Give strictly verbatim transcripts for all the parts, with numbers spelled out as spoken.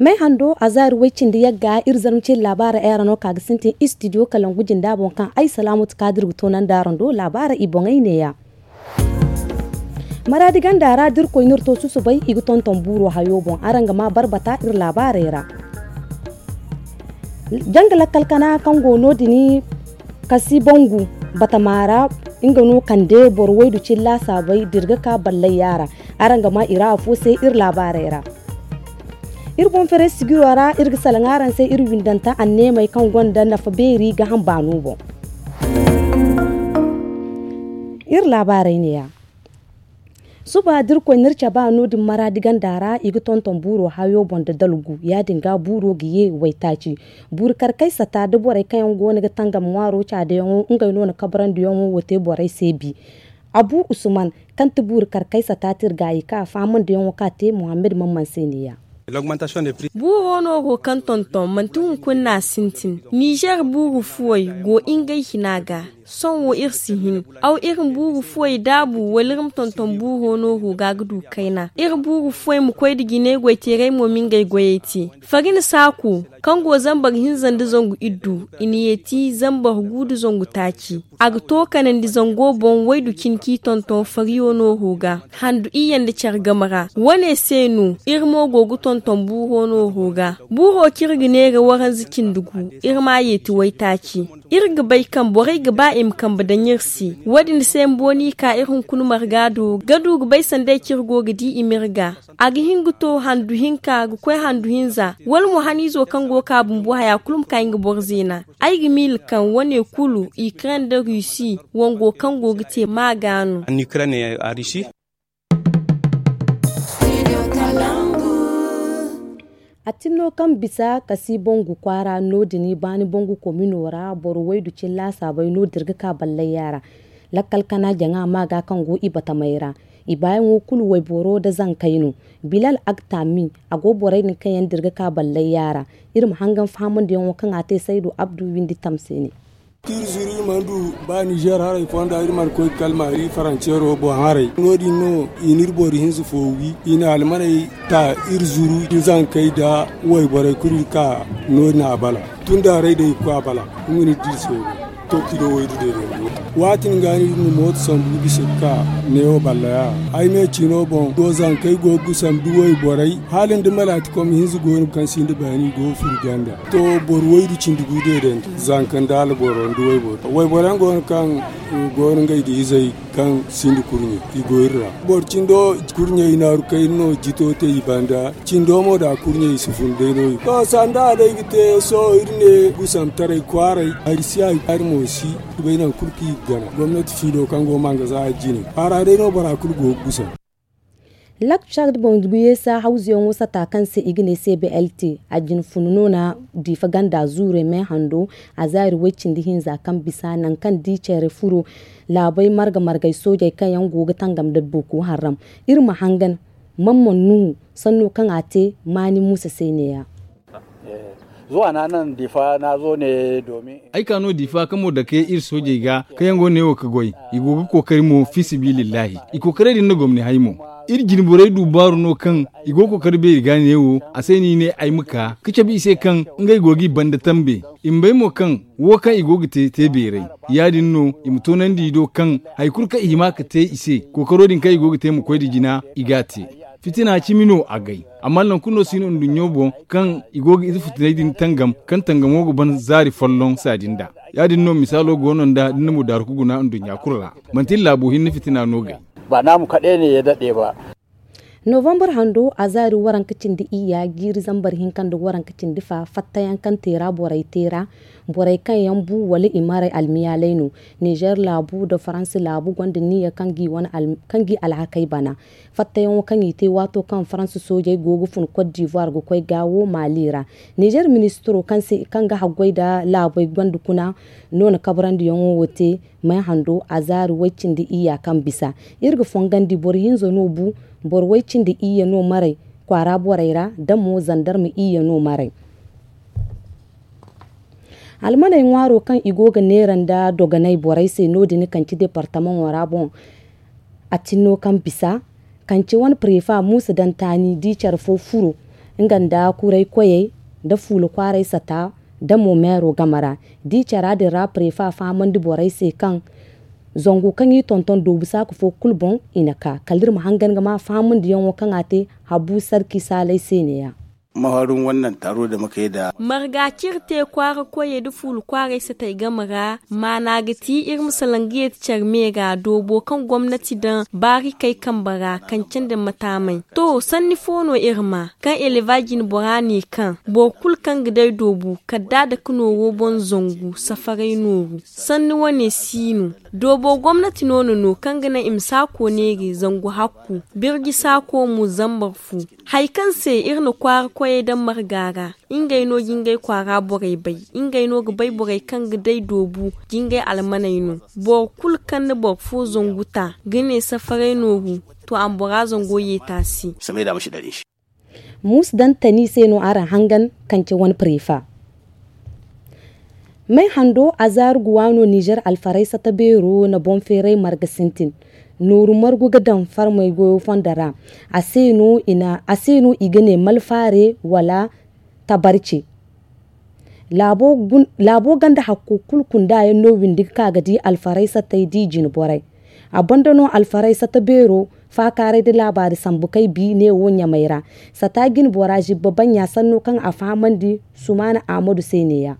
May hando a zaari way cindi yagga iri zarma ceeri laabaara ay ra no ka ga sintin istidiyo kalangu jinda boŋ kaŋ ay salaamatu kaadir ga toonandi araŋ do laabaara i boŋey neeya. Maraadi ganda ra da iri koy no iri to susubay i ga tonton buuro hayo boŋ araŋ ga ma barbata iri laabaarey ra. Janga lakkal kana kaŋ go no din kasi bangu batama ra nga no kande boro waydu cilla saabay da iri ga ka ballay yaara. Araŋ ga ma i ra afo se iri laabaarey ra. Iri boŋ fere sigiro ra iri ga salaŋ araŋ se iri windanta anneemey kaŋ gonda nafa beeri ga hamba no boŋ. Iri laabaarey neeya. Suba da iri koy no iri caba no- din maraadi ganda ra i ga tonton buuro hayo boŋ da dalgu ya- din ga buuro ga ye waytaaci. Buuru karkay sata da borey kaŋ yaŋ go no ga tangam ŋwaaro caadayaŋo ngey no na kabarandiyaŋo wo te borey se bi. Abu usman kaŋ ti buuru karkay sata tirgaayi ka a fahamandiyaŋo ka te muhammad mamman se neeya. Buuro no go kaŋ tonton manti hunkuna no a sintin. Nizer buuru fuwey go ngey hina ga. Sohõ wo iri si hin aw iri ma buuru fuwey daabu wala iri ma tonton buuro no go ga ga du kayna iri buuru fuwey ma koy nda jinay goyteeray mo ma ngey goyey te. Fari na saaku kaŋ go zambar hinza nda zangu iddu i na yeeti zambar gu nda zangu taaci. A ga to kanandi zango boŋ waydu cine kaŋ i tonton fariyo nooro ga handu iyye nda care game ra. Wane se no iri mo go ga tonton buuro nooro ga. Buuro kaŋ iri ga neera waranza cindi gu iri ma a yeeti waytaaci. Iri ga bay kaŋ borey ga ba i ma kambe daŋ iri se. Wo- din se bumbo no i ka iri hunkuna marga do ga du ga bay sanda ay kaŋ iri go ga di i ma iri ga. A ga hin ga to handu hinka ga koy handu hinza wala mo haniizo kaŋ go ga ka bumbo haya kulu ma ka nga boro zeena. Ay ga miila kaŋ wane kulu ukraine nda rusi wango kaŋ go ga te maaga no. A tinno kaŋ bisa kasi bangu kwaara no- din baani bangu komino ra boro waydu cilla saabay no da iri ga ka ballay yaara. Lakkal kana jaŋa maaga kaŋ go i batamey ra. I baayaŋo kulu wayboro nda zankey no. Bilal agtami a go borey din kaŋ yaŋ da iri ga ka ballay yaara. Iri ma hangan fahamandiyaŋo kaŋ a te saydu abdu windi tamse ne. Iri zuru iri mana du ba nizer haray fonda iri mana koy ga kala maari faranceero boŋ haray no- din no i na iri boro hinza fo wi i na almaney ta iri zuru iri zankey nda wayborey kulu iri ka no- din a bala. Tun da haray day ga koy a bala nga no iri di iri se wo. To kilo waydu day day. Waati din ga no iri na mooto sambu ga bisa ga ka neewo ballaya. Ay me ciino boŋ do zankey go ga gusam da wayborey hala nda malaati kom hinza go no kaŋ sinda baani i go ga furo ganda. To boro waydu cindi gu deedandi zanka nda alboro nda wayboro wayboro yaŋ go no kaŋ go no ngey nda izey kaŋ sinda kurɲe i go iri ra. Boro cindo kurɲe i naaru kayna no jito te i banda. Cindo mo da kurɲe i si fun day no i to sanda a day ga te sohõ iri ne gusamtaray kwaaray hari si hari hari mo si. Bay nangu kulu kaŋ i ga gana gomnati fiilo kaŋ go manga za a jine a ra day no bora kulu go ga gusam. Lak card boŋ guyeesa hawzuyaŋo sata kaŋ se i ga ne se blt a jine funu no na diifa ganda zuure me hando. A zaari way cindi hinza kaŋ bisa nangu kaŋ di care furo laabey marga margay soojey kaŋ yaŋ go ga tangam da boko haram. Iri ma hangan mamman nuhu sanno kaŋ a te maani muusa se neeya. Zuwa na nan difa na zo ne domin ay ka no difa kamo dake iri soojey ga kaŋ yaŋ go neewo ga goy. I go ga kookari mo fi sabilillahi i kookaray din na gomni hay mo. Iri jine borey du baaru no kaŋ i go ga kookari beeri ga neewo a se no i ne ay ma ka ga cabe i se kaŋ ngey go ga i banda tambe. I ma bay mo kaŋ wo kaŋ i go ga te te beeray. Ya- din no i ma toonandi i do kaŋ hari kulu kaŋ i hima ga te i se kookaro din kaŋ i go ga te ma koy nda jina i ga a te. Fitina cimi no a gay. Amma nangu kulu no si no nduɲɲo boŋ kaŋ i go ga ize fitiney din tangam kaŋ tangamo ga ban zaari folloŋ saadi nd'a. Ya- din no misaalo go no nd'a da ni na mudaaru ga guna nduɲɲa kulu ra. Manti iri laabo hinne fitina no gay. Ba naamu kaɗe ne ya daɗe ba. Novambar hando a zaari waranka cindi iyya jiiri zambar hinka nda waranka cindi fa fattayaŋ kaŋ teera borey teera. Borey kaŋ yaŋ bu wala i maray almiyaaley no. Nizer laabu nda faransi laabu gonda niyya kaŋ g'i alhakey bana. Fattayaŋo kaŋ i te waato kaŋ faransi soojey go ga fun kot divuwar ga koy gaawo maali ra. Nizer ministiro kaŋ ga haggoy nda laabey gonda kuna no na kabarandiyaŋo wo te. May hando a zaari way cindi iyya kaŋ bisa. Iri ga fongandi boro hinza no bu. Boro way cindi iyya no maray kwaara borey ra da mo zandarma iyya no maray. Almaney ŋwaaro kaŋ i go ga neera nda dogonay borey se no- din kaŋ ci departamaŋo ra boŋ. A tinno kaŋ bisa kaŋ ci wane prefa muusa dantaani di care fo furo. Nga nda kuray koyey nda fuula kwaaray sata nda mo meero game ra. Da i cara din ra prefa fahamandi borey se kaŋ zangu kaŋ i tonton doobu saaka fo kulu boŋ i na ka kala iri ma hangan ga ma fahamandiyaŋo kaŋ a te habu sarki saalay se neeya. Marga cire te kwaara koyey nda fuula kwaaray satey game ra maana ga ti iri ma salaŋ ga yeeti care me ra doobo kaŋ gomnati daŋ baarikey kambe ra kaŋ candi ma taamay. To sanni fo no iri ma kaŋ eleba jinbora ne kaŋ boro kulu kaŋ ga day doobu kala da a dake nooro boŋ zangu safaray nooru sanni wane si no. Doobo gomnati no na no kaŋ ga naŋ i ma saako neeri zangu hakku birji saako mo zambar fu. Hari kaŋ se iri na kwaara koyey daŋ marga ra ngey no ga ngey kwaara borey bay. Ngey no ga bay borey kaŋ ga day doobu ga ngey almaney no. Boro kulu kaŋ na boro fo zangu ta ga ne safaray nooru to a ma bora zango yeeti a se. Muusu daŋ tani se no araŋ hangan kaŋ ce wane prefa. May hando azaaru ga waano nizer alfaraysa ta beero na boŋ feeray marga sintin. Nooru margu ga daŋ farmey goyo fondo ra. A se no i ga ne malfaare wala tabarce. Laabo ganda hakko kulu kunda yaŋ no windi ga ka ga di alfaraysa tay di jine borey. A banda no alfaraysa ta beero faakaaray nda laabaari sambu kay bi neewo ɲamay ra. Sata jine bora zibba baɲɲa sanno kaŋ a fahamandi sumaana ahmadu se neeya.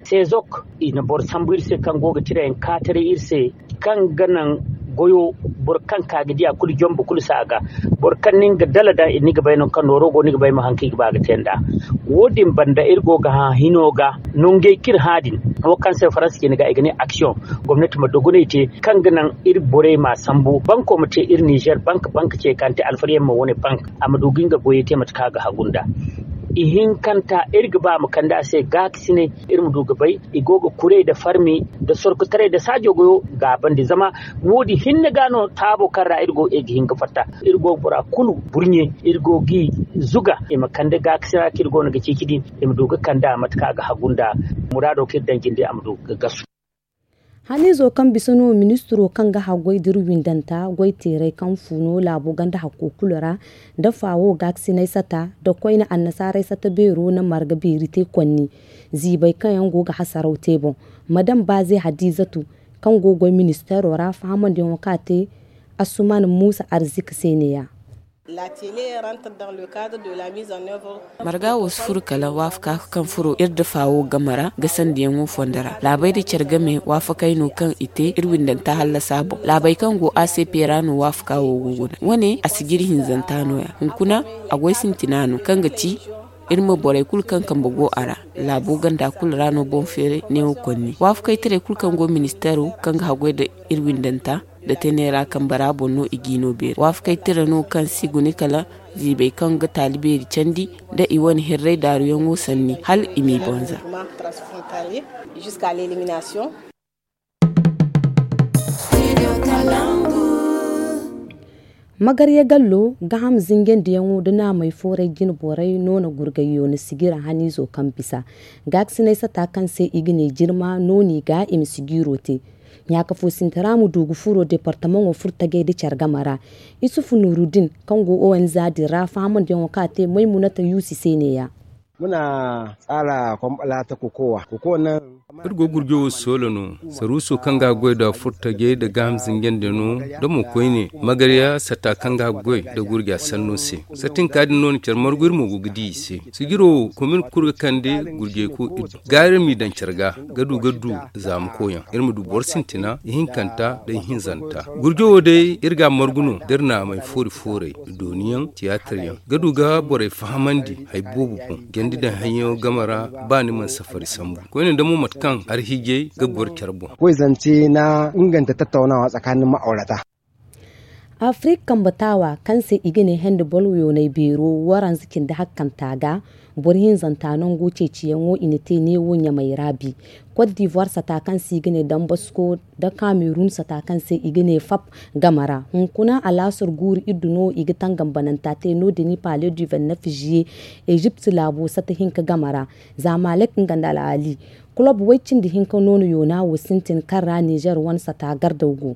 Sezok i na boro sambu iri se kaŋ go ga tirayaŋ kaataray iri se kaŋ ga naŋ goyo boro kaŋ ka ga di a kulu jombo kulu se a ga. Boro kaŋ nin ga dala daŋ ni ga bay no kaŋ nooro go ni ga bay mo haŋ kaŋ i ga ba ga te nd'a. Wo- din banda iri go ga hã hino ga nongey kaŋ iri hã din wo kaŋ se faransa cine ga i ga ne aksiyoŋ. Gomnati ma dogonay te kaŋ ga naŋ iri borey ma sambu banko ma te iri nizer bank bank ce kaŋ te alfariyaŋ ma wane bank a ma du ga nga goyey te mate kaŋ a ga hagu nd'a. Ihinkanta iri ga ba a ma kande a se gaakasinay iri ma du ga bay i go ga kuray nda farmi nda sorkotaray nda saajo goyo gaabandi zama wo- din hinne ga no taabo kaŋ ra iri go ga hin ga fatta. Iri go ga bora kulu burɲe iri go ga i zuga i ma kande gaakasina kaŋ iri go no ga ceeci din i ma du ga kande a mate kaŋ a ga hagu nda muraado kaŋ iri daŋ jinde a ma du ga gasu. Haniizo kaŋ bisa no ministiro kaŋ ga haggoy da iri windanta goy teeray kaŋ fu no laabo ganda hakko kulu ra nda faawo gaakasinay sata nda koyne annasaaray sata beero na marga beeri te konni ziibay kaŋ yaŋ go ga hasaraw te boŋ. Madam baaze hadiizatu kaŋ go ga goy ministeero ra fahamandiyaŋo kaŋ a te asuman muusa arzika se neeya. Marga wo si furo kala waafaka kaŋ furo iri dafa wo game ra ga sandiyaŋo fondo ra laabey nda care game waafakey no kaŋ i te iri windanta hallasa boŋ laabey kaŋ go a se peera no waafaka wo go guna wane a si jiri hinzanta no- ya hunkuna a goy sintina no kaŋ ga ci iri ma borey kulu kaŋ kambe go a ra laabo ganda kulu ra no boŋ feeray neewo konni waafakey taray kulu kaŋ go ministeero kaŋ ga haggoy nda iri windanta nda teenay ra kambe ra boŋ no i g'i no beeri waafakey tira no kaŋ si guna kala ziibey kaŋ ga taali beeri candi nda i wane hirray daaruyaŋo sanni hala i m'i banza. Magarya gallo gaham zinjandiyaŋo nda naamey fooray jine borey no na gurgayyo na sigira haniizo kaŋ bisa gaakasinay sata kaŋ se i ga ne jirma no no i ga i ma sigiiro te. Ɲaaka fo sinti ra ma du ga furo departamaŋo furtajey nda care game ra. Isufu nuruddin kaŋ go onz din ra fahamandiyaŋo kaŋ a te maymunata yuusi se neeya. Muna tsara kwamɓala ta kokowa kokowa nan. Iri go gurjo wo soola no saruuso kaŋ ga goy nda furtajey nda gaaham zinjandi no nda mo koyne magarya sata kaŋ ga goy nda gurja sanno se. Satinka din no na care margu iri mo go ga di i se. Sijiro wo komin kulu ga kande gurjey ko iri do gaari iri m'i daŋ care ga ga du ga du zaama koyaŋ iri ma du boro sintina ihinkanta nda ihinzanta. Gurjo wo day iri ga a margu no da iri naamey foori fooray dooniyaŋ tiyaataryaŋ ga du ga borey fahamandi hari boobo boŋ jandi daŋ hayyaŋo game ra. Ba ni mana safari sambu koyne nda mo mate kaŋ arhijey ga goro care boŋ. Koy zance na inganta tattaunawa tsakanin ma'aurata. Afirik kambe taawa kaŋ se i ga ne hende boro yoonay beero waranza cindi hakkanta ga boro hinzanta nango ceeciyaŋo i na te neewo ɲamay ra bi. Kot divuwar sata kaŋ se i ga ne dambasko nda kamerun sata kaŋ se i ga ne fap game ra hunkuna alaasar guuru iddu no i ga tangambananta te no- din i pale du vennef ziye. Ezipt laabo sata hinka game ra zamalek nga nda al'ali kulob way cindi hinka no na yoona wo sintin kaŋ ra nizer wane sata gardaw go.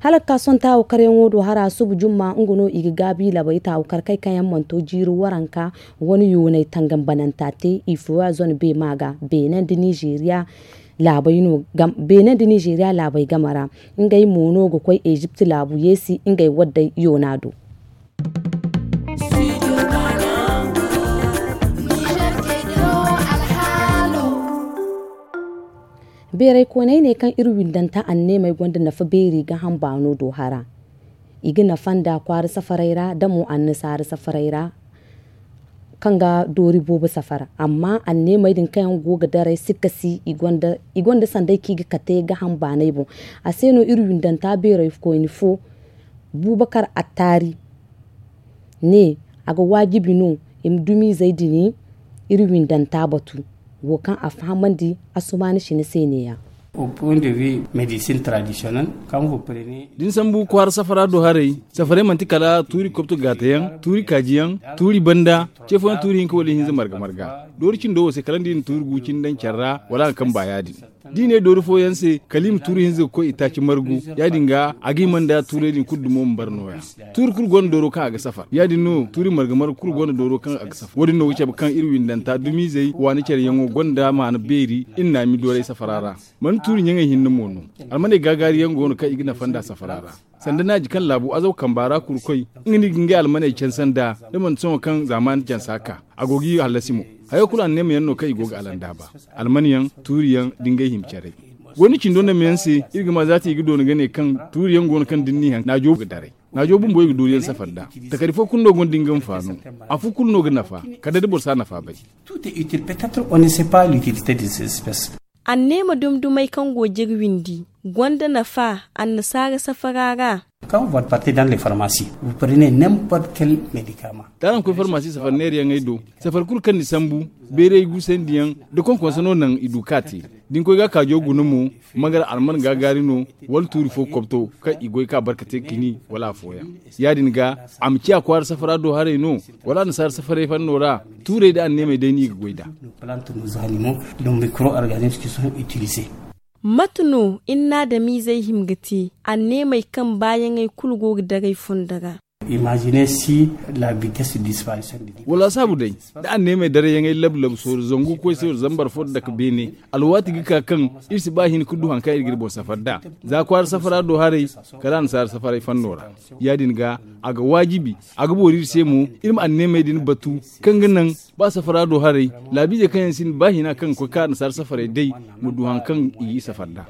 Hala ga ka sohõ taawu karyaŋo do hara subu jumma nga no i ga gaabi labay taawu karkay kaŋ yaŋ mana to jiiri waranka wane yoonay tangambananta te i fooya zone beema ga beene nda nizeeriya laabay no beene nda nizeeriya laabay game ra. Ngey mo no ga koy ezipt laabu yeesi ngey waddey yoona do. Beeray koonay ne kaŋ iri windanta anneemey gonda nafa beeri ga hamba no do hara. I ga nafa nda kwaara safaray ra da mo annasaara safaray ra kaŋ ga doori boobo safara amma anneemey din kaŋ yaŋ go ga daray sikka si i gonda sanday kaŋ i ga kate ga hamba no ay boŋ. A se no iri windanta beeray koyne fo buubakar attaari ne a ga waajibi no i ma dumiizey din iri windanta batu wo kaŋ a fahamandi assumaani sina se ne- ya. Da ni sambu kwaara safara do haray, safaray manti kala tuuri kobto gaatayaŋ, tuuri kaajiyaŋ, tuuri banda, ce fooyaŋ tuuri hinka wala ihinza marga marga. Doori cindo wo se kala ni di na tuuri gu cindi daŋ care ra wala a ga kamba ya- din. Da i ne doori fooyaŋ se kala i ma tuuri hinza ga koy itaaci margu, ya- din ga a ga hima nda tuurey din kulu dumo ma bara nooya. Tuuri kulu gonda dooro kaŋ a ga safar ya- din no tuuri marga marga kulu gonda dooro kaŋ a ga safar wo- din no ga cabe kaŋ iri windanta dumiizey waani care yaŋo gonda maana beeri iri naami doorey safara ra. Mana tuuri ɲaŋey hinne mo no. Almaney gaagaari yaŋ go no kaŋ i ga nafa nda safara ra. Sanda naaji kaŋ laabu azaw kamba ra kuru koy, nga no i ga ngey almaney canse nd'a. Da mana sohõ kaŋ zaamaani cansa ka a go ga i hallasi mo. Hayo kulu anneema yaŋ no kaŋ i go ga alandaaba. Alman yaŋ, tuuri yaŋ da ngey hima caray. Goy ni cindo nda meyaŋ se, iri ga ma zaati i ga doona ga ne kaŋ tuuri yaŋ go no kaŋ da ni n'i haŋ naajo ga daray. Naajo bumbo i ga doori yaŋ safar nd'a. Takari fo kulu no gonda nga nfaano. Afo kulu no ga nafa kala day da boro si a nafa bay. Anneema dumdumey kaŋ go jiri windi gonda nafa annasaara safara ra. Kaŋ boro parti daŋ le farmasi, boro ne n'importe kel medikama. Da araŋ koy farmasi safar neerayaŋey do, safar kulu kaŋ ni sambu, beeray guusandiyaŋ da konkonso no naŋ i du ka te. Da ni koy ga a kaajo guna mo, mangar alman gaagaari no, wala tuuri fo kobto kaŋ i goy ka barka te kini wala afooyaŋ. Ya- din ga a ma ciya kwaara safara do haray no, wala annasaara safaray fanno ra, tuurey nda anneemey day no i ga goy nd'a. Mate no innaadamiizey hima ga te anneemey kaŋ baayaŋey kulu go ga daray fondo ra? Wala a saabu day, da anneemey darayyaŋey labu-labu sooru zangu koy se wala zambar fo dake beene, alwaati ga ka kaŋ iri si ba hin ga du hari kaŋ iri ga iri boŋ safar nd'a. Za kwaara safara do haray, kala annasaara safaray fanno ra. Ya- din ga, a ga waajibi, a ga boori iri se mo, iri ma anneemey din batu, kaŋ ga naŋ ba safara do haray, laabiizey kaŋ yaŋ sinda ba hina kaŋ ga koy ka annasaara safaray day, ma du hari kaŋ i ga i safar nd'a.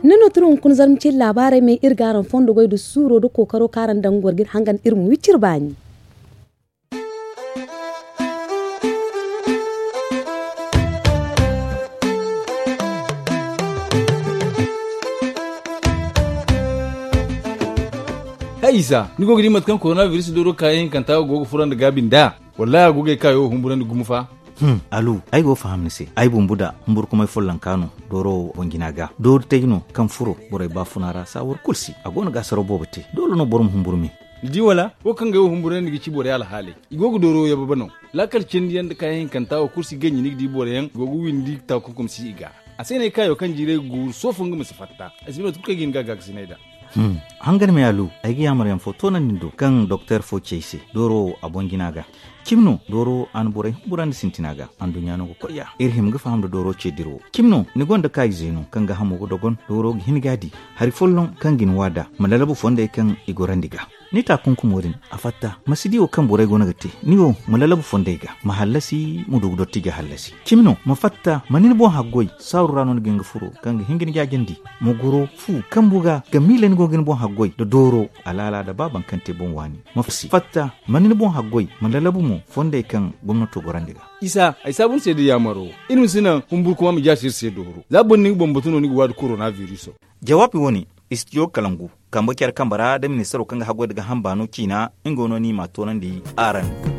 Ni no turu hunkuna zarma cine laabaarey me iri ga araŋ fondo goy nda suuro nda kookaro kaŋ araŋ daŋ ga war ga iri hangan iri ma wi cire baani. Hay isa, ni go ga di mate kaŋ korona biris dooro kaayaŋ hinkanta go ga furo nda gaabi nd'a? Wallahi a go ga ay kaayo humburandi gumo fa. Alu, ay go ga faham ni se. Ay bumbu da humburkumay follonka no dooro wo boŋ jina ga. Doori tay no kaŋ furo borey baafuna ra saawar kulu se. A go no ga asaraw boobo te. Doole no boro ma humburu me. Ni di wala? Wo kaŋ ga ay wo humburandi ga ci borey alhaaley, i go ga dooro yababe no. Laakal cindi yaŋ nda kaayaŋ hinkanta wo kulu si ganji ni ga di boro yaŋ go ga windi takunkum si i ga. A se no ay kaayo kaŋ jiirey ga guuru soofo nga ma si fatta. Ay si bay mate kulu kaŋ ay ga hin ga a gaakasinay nd'a. Hangan me alu, ay ga yaamar yaŋ fo toonandi ni do kaŋ doktor fo ci ay se dooro wo a boŋ jina ga. Cimi no dooro a na borey humburandi sintina ga. Anduɲɲa no ga koy ya iri hima ga faham nda dooro ce dira wo. Cimi no ni gonda kaayize no kaŋ ga hamo ga dogon dooro ga hin ga a di. Hari folloŋ kaŋ ga ni waada ma lalabu fondey kaŋ i gorandi ga. Ni taakunkumo din, a fatta ma si di wo kaŋ borey go no ga te. Ni wo ma lalabu fondey ga ma hallasi ma du ga dotti ga hallasi. Cimi no ma fatta ma ni ni boŋ haggoy saaru ra no ni ga hin ga furo kaŋ ga hin ga ni jaajandi. Ma goro fu kambu ga ga miila ni go ga ni boŋ haggoy nda dooro alaala nda ba baŋ kaŋ te boŋ waani. Ma fatta ma ni ni boŋ haggoy ma lalabu mo fondey kaŋ gomnato gorandi ga. Isa ay saabu ni se da yaamaro. Iri ma si naŋ humburkuma ma jaasi iri se dooro za boro na nga boŋ batu no ni ga waadi korona biriso. Jawaabi wo-ne, istijo kalangu kambe care kambe ra da ministaro kaŋ ga haggoy nda ga hamba no ciina. Nga wo no ni m'a toonandi araŋ.